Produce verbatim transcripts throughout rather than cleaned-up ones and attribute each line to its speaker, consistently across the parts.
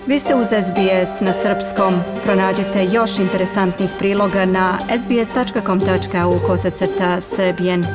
Speaker 1: Vi ste uz S B S na srpskom. Pronađite još interesantnih priloga na sbs.com.au kosacrta srbijen.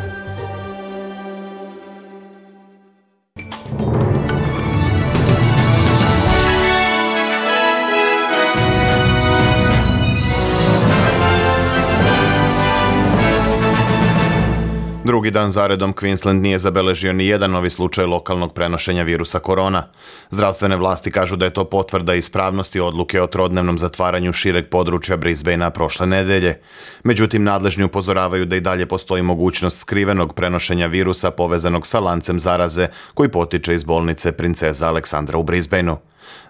Speaker 2: Drugi dan zaredom Queensland nije zabeležio ni jedan novi slučaj lokalnog prenošenja virusa korona. Zdravstvene vlasti kažu da je to potvrda ispravnosti odluke o trodnevnom zatvaranju šireg područja Brisbanea prošle nedelje. Međutim, nadležni upozoravaju da i dalje postoji mogućnost skrivenog prenošenja virusa povezanog sa lancem zaraze koji potiče iz bolnice Princeza Aleksandra u Brisbaneu.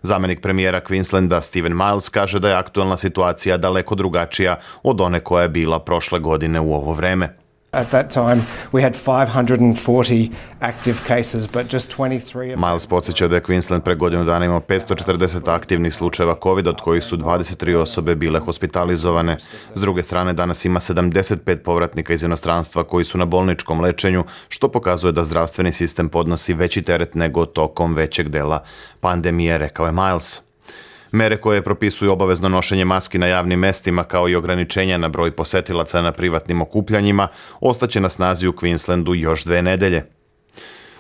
Speaker 2: Zamenik premijera Queenslanda Stephen Miles kaže da je aktualna situacija daleko drugačija od one koja je bila prošle godine u ovo vreme.
Speaker 3: At that time, we had five hundred forty active cases, but just twenty-three...
Speaker 2: Miles podsjeća da je Queensland pre godinu dana imao petsto četrdeset aktivnih slučajeva COVID, od kojih su dvadeset tri osobe bile hospitalizovane. S druge strane, danas ima sedamdeset pet povratnika iz inostranstva koji su na bolničkom lečenju, što pokazuje da zdravstveni sistem podnosi veći teret nego tokom većeg dela pandemije, rekao je Miles. Mere koje propisuju obavezno nošenje maski na javnim mestima kao i ograničenja na broj posetilaca na privatnim okupljanjima ostaće na snazi u Queenslandu još dve nedelje.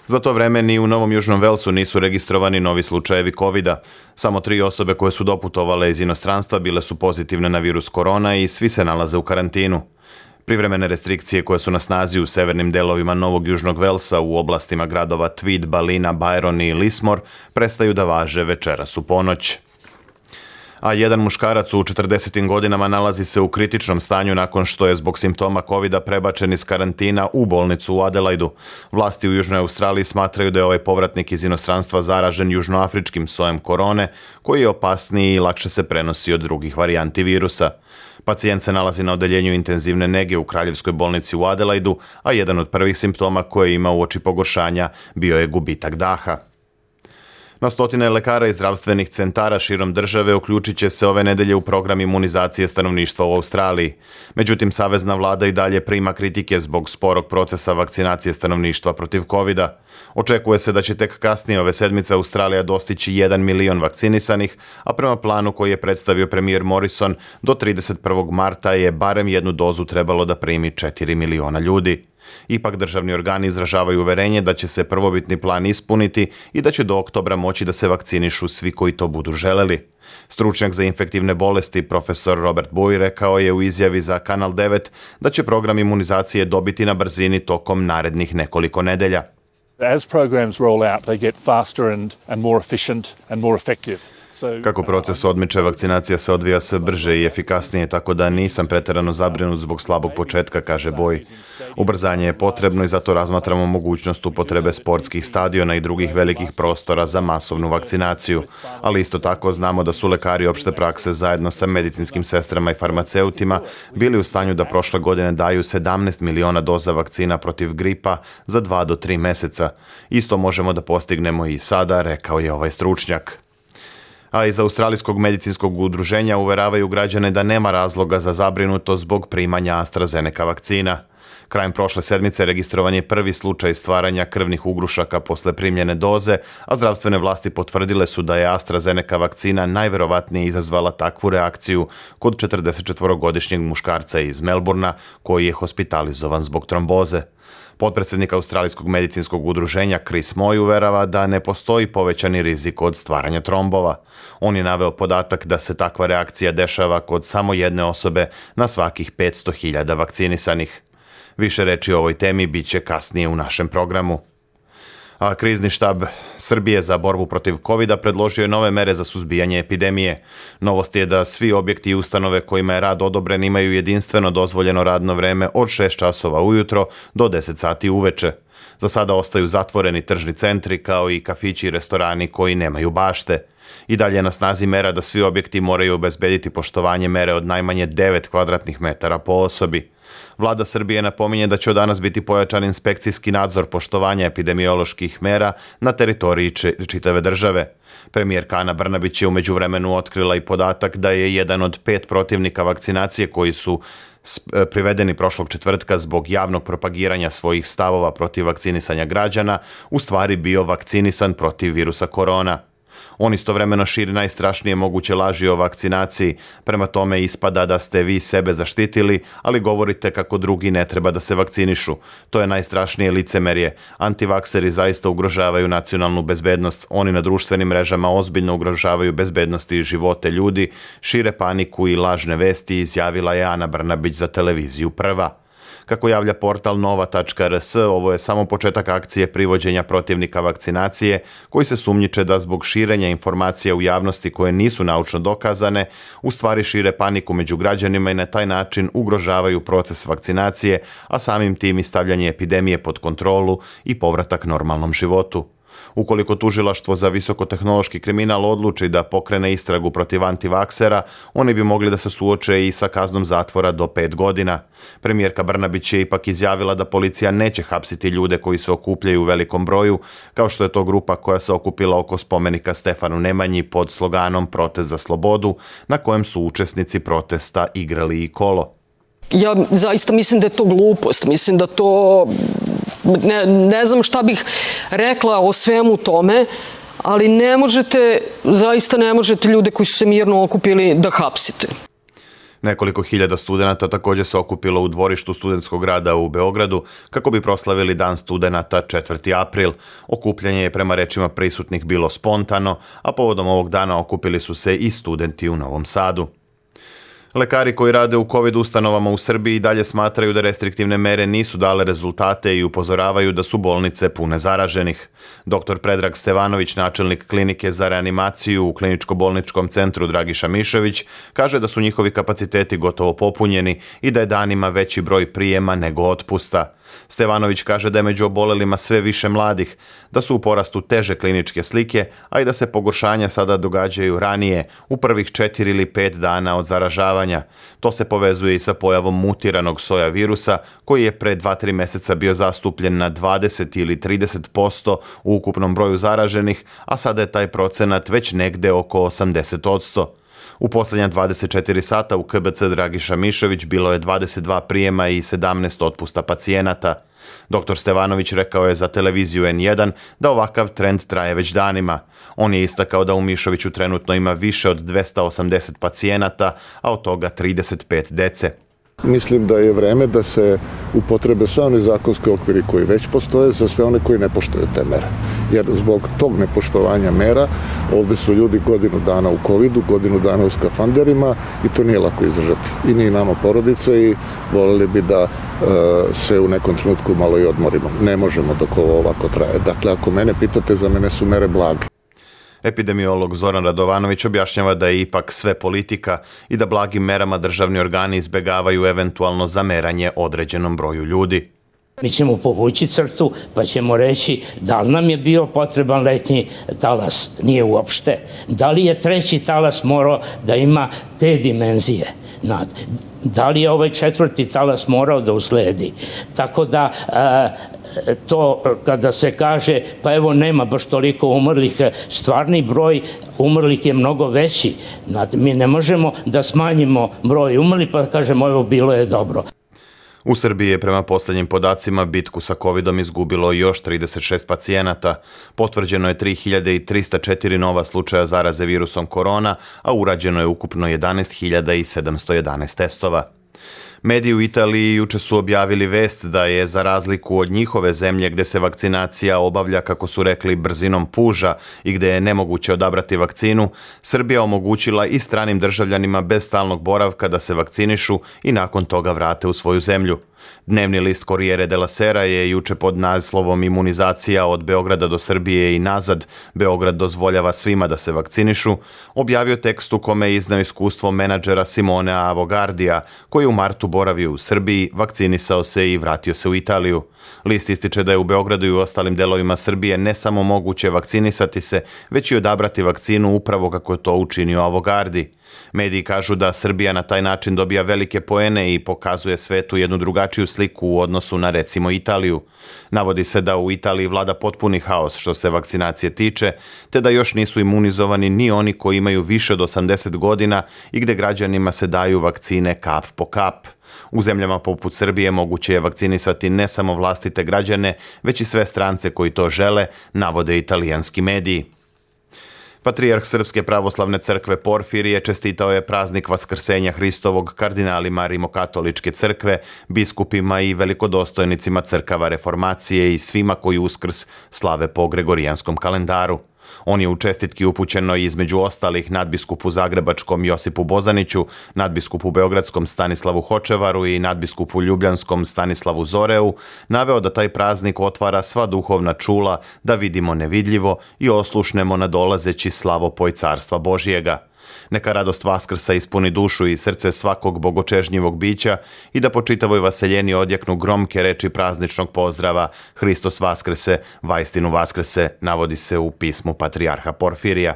Speaker 2: Za to vreme ni u Novom Južnom Velsu nisu registrovani novi slučajevi kovida. Samo tri osobe koje su doputovale iz inostranstva bile su pozitivne na virus korona i svi se nalaze u karantinu. Privremene restrikcije koje su na snazi u severnim delovima Novog Južnog Velsa u oblastima gradova Tweed, Ballina, Byron i Lismore prestaju da važe večeras u ponoć. A jedan muškarac u četrdesetim godinama nalazi se u kritičnom stanju nakon što je zbog simptoma kovida prebačen iz karantina u bolnicu u Adelaidu. Vlasti u Južnoj Australiji smatraju da je ovaj povratnik iz inostranstva zaražen južnoafričkim sojem korone, koji je opasniji i lakše se prenosi od drugih varijanti virusa. Pacijent se nalazi na odeljenju intenzivne nege u Kraljevskoj bolnici u Adelaidu, a jedan od prvih simptoma koje ima uoči pogoršanja bio je gubitak daha. Na stotine lekara i zdravstvenih centara širom države uključit će se ove nedelje u program imunizacije stanovništva u Australiji. Međutim, savezna vlada i dalje prima kritike zbog sporog procesa vakcinacije stanovništva protiv kovida. Očekuje se da će tek kasnije ove sedmice Australija dostići jedan milion vakcinisanih, a prema planu koji je predstavio premijer Morrison, do trideset prvog marta je barem jednu dozu trebalo da primi četiri miliona ljudi. Ipak državni organi izražavaju uverenje da će se prvobitni plan ispuniti i da će do oktobra moći da se vakcinišu svi koji to budu želeli. Stručnjak za infektivne bolesti profesor Robert Bui rekao je u izjavi za Kanal devet da će program imunizacije dobiti na brzini tokom narednih nekoliko nedelja.
Speaker 4: As programs roll out, they get faster and, and more efficient and more effective.
Speaker 2: Kako proces odmiče, vakcinacija se odvija sve brže i efikasnije, tako da nisam preterano zabrinut zbog slabog početka, kaže Boj. Ubrzanje je potrebno i zato razmatramo mogućnost upotrebe sportskih stadiona i drugih velikih prostora za masovnu vakcinaciju. Ali isto tako znamo da su lekari opšte prakse zajedno sa medicinskim sestrama i farmaceutima bili u stanju da prošle godine daju sedamnaest miliona doza vakcina protiv gripa za dva do tri meseca. Isto možemo da postignemo i sada, rekao je ovaj stručnjak. A iz Australijskog medicinskog udruženja uveravaju građane da nema razloga za zabrinutost zbog primanja AstraZeneca vakcina. Krajem prošle sedmice registrovan je prvi slučaj stvaranja krvnih ugrušaka posle primljene doze, a zdravstvene vlasti potvrdile su da je AstraZeneca vakcina najverovatnije izazvala takvu reakciju kod četrdesetčetvorogodišnjeg muškarca iz Melbourna koji je hospitalizovan zbog tromboze. Potpredsjednik Australijskog medicinskog udruženja Chris Moy uverava da ne postoji povećani rizik od stvaranja trombova. On je naveo podatak da se takva reakcija dešava kod samo jedne osobe na svakih petsto hiljada vakcinisanih. Više reči o ovoj temi bit će kasnije u našem programu. A krizni štab Srbije za borbu protiv kovida predložio je nove mere za suzbijanje epidemije. Novost je da svi objekti i ustanove kojima je rad odobren imaju jedinstveno dozvoljeno radno vreme od šest časova ujutro do deset sati uveče. Za sada ostaju zatvoreni tržni centri kao i kafići i restorani koji nemaju bašte. I dalje je na snazi mera da svi objekti moraju obezbediti poštovanje mere od najmanje devet kvadratnih metara po osobi. Vlada Srbije napominje da će od danas biti pojačan inspekcijski nadzor poštovanja epidemioloških mera na teritoriji čitave države. Premijerka Ana Brnabić je u međuvremenu otkrila i podatak da je jedan od pet protivnika vakcinacije koji su privedeni prošlog četvrtka zbog javnog propagiranja svojih stavova protiv vakcinisanja građana u stvari bio vakcinisan protiv virusa korona. On istovremeno širi najstrašnije moguće laži o vakcinaciji. Prema tome ispada da ste vi sebe zaštitili, ali govorite kako drugi ne treba da se vakcinišu. To je najstrašnije licemerje. Antivakseri zaista ugrožavaju nacionalnu bezbednost. Oni na društvenim mrežama ozbiljno ugrožavaju bezbednost i živote ljudi, šire paniku i lažne vesti, izjavila je Ana Brnabić za televiziju Prva. Kako javlja portal nova tačka er es, ovo je samo početak akcije privođenja protivnika vakcinacije, koji se sumnjiče da zbog širenja informacija u javnosti koje nisu naučno dokazane, u stvari šire paniku među građanima i na taj način ugrožavaju proces vakcinacije, a samim tim i stavljanje epidemije pod kontrolu i povratak normalnom životu. Ukoliko tužilaštvo za visokotehnološki kriminal odluči da pokrene istragu protiv antivaksera, oni bi mogli da se suoče i sa kaznom zatvora do pet godina. Premijerka Brnabić je ipak izjavila da policija neće hapsiti ljude koji se okupljaju u velikom broju, kao što je to grupa koja se okupila oko spomenika Stefanu Nemanji pod sloganom Protest za slobodu, na kojem su učesnici protesta igrali i kolo.
Speaker 5: Ja zaista mislim da je to glupost, mislim da to, ne, ne znam šta bih rekla o svemu tome, ali ne možete, zaista ne možete ljude koji su se mirno okupili da hapsite.
Speaker 2: Nekoliko hiljada studenata također se okupilo u dvorištu studentskog grada u Beogradu kako bi proslavili Dan studenata četvrti april. Okupljanje je prema rečima prisutnih bilo spontano, a povodom ovog dana okupili su se i studenti u Novom Sadu. Lekari koji rade u COVID ustanovama u Srbiji i dalje smatraju da restriktivne mere nisu dale rezultate i upozoravaju da su bolnice pune zaraženih. Doktor Predrag Stevanović, načelnik klinike za reanimaciju u kliničko-bolničkom centru Dragiša Mišović, kaže da su njihovi kapaciteti gotovo popunjeni i da je danima veći broj prijema nego otpusta. Stevanović kaže da je među obolelima sve više mladih, da su u porastu teže kliničke slike, a i da se pogoršanja sada događaju ranije, u prvih četiri ili pet dana od zaražavanja. To se povezuje i sa pojavom mutiranog soja virusa, koji je pre dva tri meseca bio zastupljen na dvadeset ili trideset posto u ukupnom broju zaraženih, a sada je taj procenat već negde oko osamdeset posto. U posljednja dvadeset četiri sata u K B C Dragiša Mišović bilo je dvadeset dva prijema i sedamnaest otpusta pacijenata. Doktor Stevanović rekao je za televiziju en jedan da ovakav trend traje već danima. On je istakao da u Mišoviću trenutno ima više od dvesta osamdeset pacijenata, a od toga trideset pet dece.
Speaker 6: Mislim da je vreme da se upotrebe sve one zakonske okviri koji već postoje za sve one koji ne poštuju te mere. Jer zbog tog nepoštovanja mera ovde su ljudi godinu dana u covidu, godinu dana u skafanderima i to nije lako izdržati. I ni nama porodice i voljeli bi da e, se u nekom trenutku malo i odmorimo. Ne možemo dok ovo ovako traje. Dakle, ako mene pitate, za mene su mere blage.
Speaker 2: Epidemiolog Zoran Radovanović objašnjava da je ipak sve politika i da blagim merama državni organi izbegavaju eventualno zameranje određenom broju ljudi.
Speaker 7: Mi ćemo povući crtu pa ćemo reći da li nam je bio potreban letnji talas, nije uopšte. Da li je treći talas morao da ima te dimenzije? Da li je ovaj četvrti talas morao da usledi? Tako da to kada se kaže pa evo nema baš toliko umrlih, stvarni broj umrlih je mnogo veći. Mi ne možemo da smanjimo broj umrlih pa kažemo evo bilo je dobro.
Speaker 2: U Srbiji je prema posljednjim podacima bitku sa covidom izgubilo još trideset šest pacijenata. Potvrđeno je tri hiljade trista četiri nova slučaja zaraze virusom korona, a urađeno je ukupno jedanaest hiljada sedamsto jedanaest testova. Mediji u Italiji juče su objavili vest da je, za razliku od njihove zemlje gde se vakcinacija obavlja, kako su rekli, brzinom puža i gde je nemoguće odabrati vakcinu, Srbija omogućila i stranim državljanima bez stalnog boravka da se vakcinišu i nakon toga vrate u svoju zemlju. Dnevni list Corriere della Sera je juče pod naslovom Imunizacija od Beograda do Srbije i nazad, Beograd dozvoljava svima da se vakcinišu, objavio tekst u kome je iznao iskustvo menadžera Simonea Avogardija, koji u martu boravio u Srbiji, vakcinisao se i vratio se u Italiju. List ističe da je u Beogradu i u ostalim delovima Srbije ne samo moguće vakcinisati se, već i odabrati vakcinu upravo kako je to učinio Avogardi. Mediji kažu da Srbija na taj način dobija velike poene i pokazuje svetu jednu drugačiju sliku u odnosu na, recimo, Italiju. Navodi se da u Italiji vlada potpuni haos što se vakcinacije tiče, te da još nisu imunizovani ni oni koji imaju više od osamdeset godina i gde građanima se daju vakcine kap po kap. U zemljama poput Srbije moguće je vakcinisati ne samo vlastite građane, već i sve strance koji to žele, navode italijanski mediji. Patrijarh Srpske pravoslavne crkve Porfirije čestitao je praznik Vaskrsenja Hristovog kardinalima Rimokatoličke crkve, biskupima i velikodostojnicima crkava reformacije i svima koji Uskrs slave po gregorijanskom kalendaru. On je u čestitki upućeno između ostalih nadbiskupu Zagrebačkom Josipu Bozaniću, nadbiskupu Beogradskom Stanislavu Hočevaru i nadbiskupu Ljubljanskom Stanislavu Zoreu naveo da taj praznik otvara sva duhovna čula da vidimo nevidljivo i oslušnemo nadolazeći slavopoj carstva Božijega. Neka radost Vaskrsa ispuni dušu i srce svakog bogočežnjivog bića i da po čitavoj vaseljeni odjeknu gromke reči prazničnog pozdrava Hristos Vaskrse, vaistinu Vaskrse, navodi se u pismu Patrijarha Porfirija.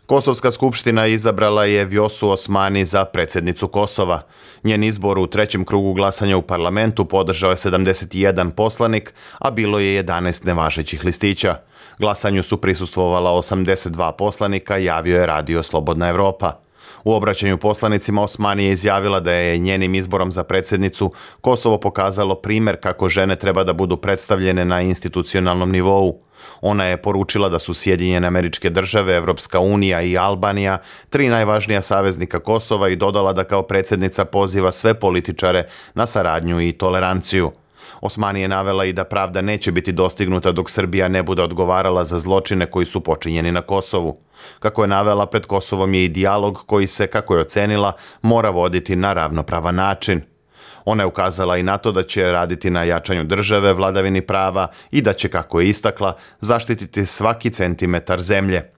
Speaker 2: Kosovska skupština izabrala je Vjosu Osmani za predsjednicu Kosova. Njen izbor u trećem krugu glasanja u parlamentu podržao je sedamdeset jedan poslanik, a bilo je jedanaest nevažećih listića. Glasanju su prisustvovala osamdeset dva poslanika, javio je Radio Slobodna Evropa. U obraćanju poslanicima Osmani je izjavila da je njenim izborom za predsjednicu Kosovo pokazalo primjer kako žene treba da budu predstavljene na institucionalnom nivou. Ona je poručila da su Sjedinjene Američke Države, Evropska unija i Albanija tri najvažnija saveznika Kosova i dodala da kao predsjednica poziva sve političare na saradnju i toleranciju. Osmani je navela i da pravda neće biti dostignuta dok Srbija ne bude odgovarala za zločine koji su počinjeni na Kosovu. Kako je navela, pred Kosovom je i dijalog koji se, kako je ocenila, mora voditi na ravnopravan način. Ona je ukazala i na to da će raditi na jačanju države, vladavini prava i da će, kako je istakla, zaštititi svaki centimetar zemlje.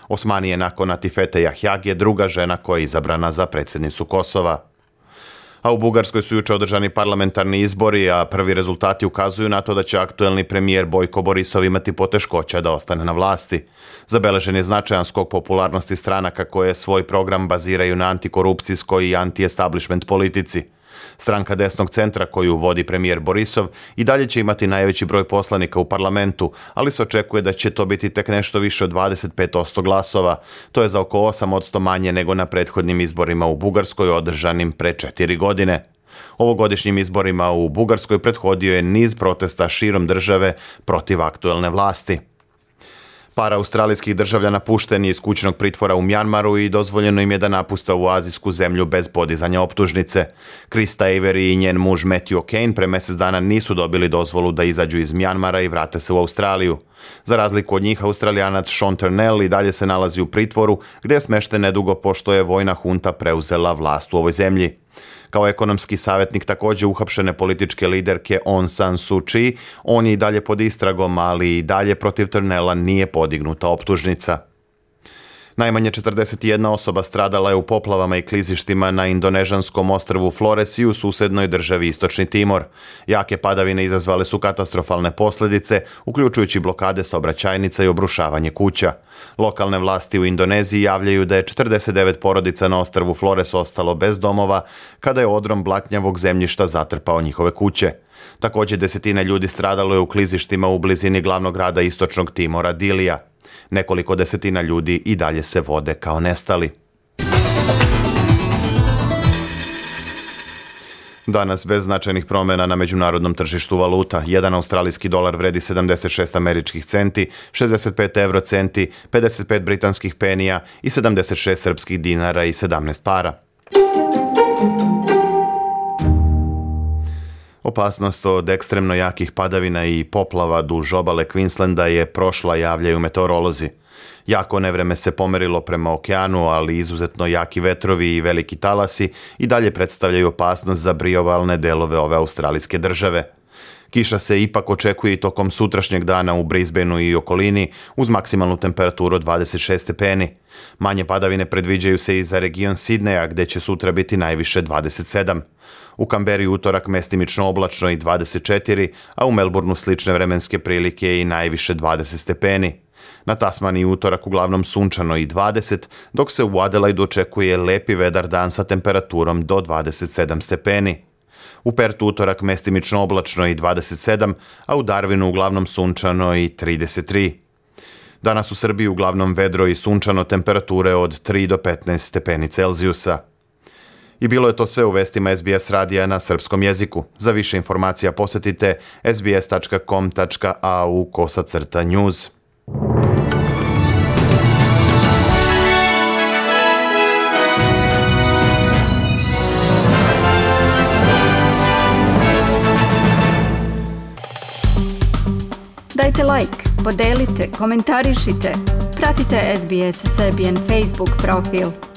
Speaker 2: Osmani je nakon Atifete Jahjage druga žena koja je izabrana za predsjednicu Kosova. A u Bugarskoj su juče održani parlamentarni izbori, a prvi rezultati ukazuju na to da će aktuelni premijer Bojko Borisov imati poteškoća da ostane na vlasti. Zabeležen je značajan skok popularnosti stranaka koje svoj program baziraju na antikorupcijskoj i anti-establishment politici. Stranka desnog centra koju vodi premijer Borisov i dalje će imati najveći broj poslanika u parlamentu, ali se očekuje da će to biti tek nešto više od dvadeset pet posto glasova. To je za oko osam posto manje nego na prethodnim izborima u Bugarskoj održanim pre četiri godine. Ovogodišnjim izborima u Bugarskoj prethodio je niz protesta širom države protiv aktuelne vlasti. Par australijskih državljana pušten je iz kućnog pritvora u Mjanmaru i dozvoljeno im je da napuste ovu azijsku zemlju bez podizanja optužnice. Krista Avery i njen muž Matthew O'Kane pre mjesec dana nisu dobili dozvolu da izađu iz Mjanmara i vrate se u Australiju. Za razliku od njih, Australijanac Sean Turnell i dalje se nalazi u pritvoru, gdje je smešten nedugo pošto je vojna hunta preuzela vlast u ovoj zemlji. Kao ekonomski savjetnik također uhapšene političke liderke Aung San Suu Kyi, on je i dalje pod istragom, ali i dalje protiv Turnella nije podignuta optužnica. Najmanje četrdeset jedna osoba stradala je u poplavama i klizištima na indonežanskom ostrvu Flores i u susjednoj državi Istočni Timor. Jake padavine izazvale su katastrofalne posljedice, uključujući blokade saobraćajnica i obrušavanje kuća. Lokalne vlasti u Indoneziji javljaju da je četrdeset devet porodica na ostrvu Flores ostalo bez domova kada je odrom blatnjavog zemljišta zatrpao njihove kuće. Također desetine ljudi stradalo je u klizištima u blizini glavnog grada Istočnog Timora, Dilija. Nekoliko desetina ljudi i dalje se vode kao nestali. Danas bez značajnih promjena na međunarodnom tržištu valuta. Jedan australijski dolar vredi sedamdeset šest američkih centi, šezdeset pet euro centi, pedeset pet britanskih penija i sedamdeset šest srpskih dinara i sedamnaest para. Opasnost od ekstremno jakih padavina i poplava duž obale Queenslanda je prošla, javljaju meteorolozi. Jako nevreme se pomerilo prema okeanu, ali izuzetno jaki vetrovi i veliki talasi i dalje predstavljaju opasnost za priobalne delove ove australijske države. Kiša se ipak očekuje i tokom sutrašnjeg dana u Brisbaneu i okolini uz maksimalnu temperaturu od dvadeset šest stepeni. Manje padavine predviđaju se i za region Sidneja, gdje će sutra biti najviše dvadeset sedam. U Kamberi utorak mestimično oblačno i dvadeset četiri, a u Melbourneu slične vremenske prilike i najviše dvadeset stepeni. Na Tasmaniji utorak uglavnom sunčano i dvadeset, dok se u Adelaidu očekuje lepi vedar dan sa temperaturom do dvadeset sedam stepeni. U Pertu utorak mestimično oblačno i dvadeset sedam, a u Darwinu uglavnom sunčano i trideset tri. Danas u Srbiji uglavnom vedro i sunčano, temperature od tri do petnaest stepeni Celzijusa. I bilo je to sve u vestima S B S radija na srpskom jeziku. Za više informacija posjetite s b s tačka com tačka a u kosacrta news.
Speaker 1: Dajte like, podelite, komentarišite. Pratite S B S Serbian Facebook profil.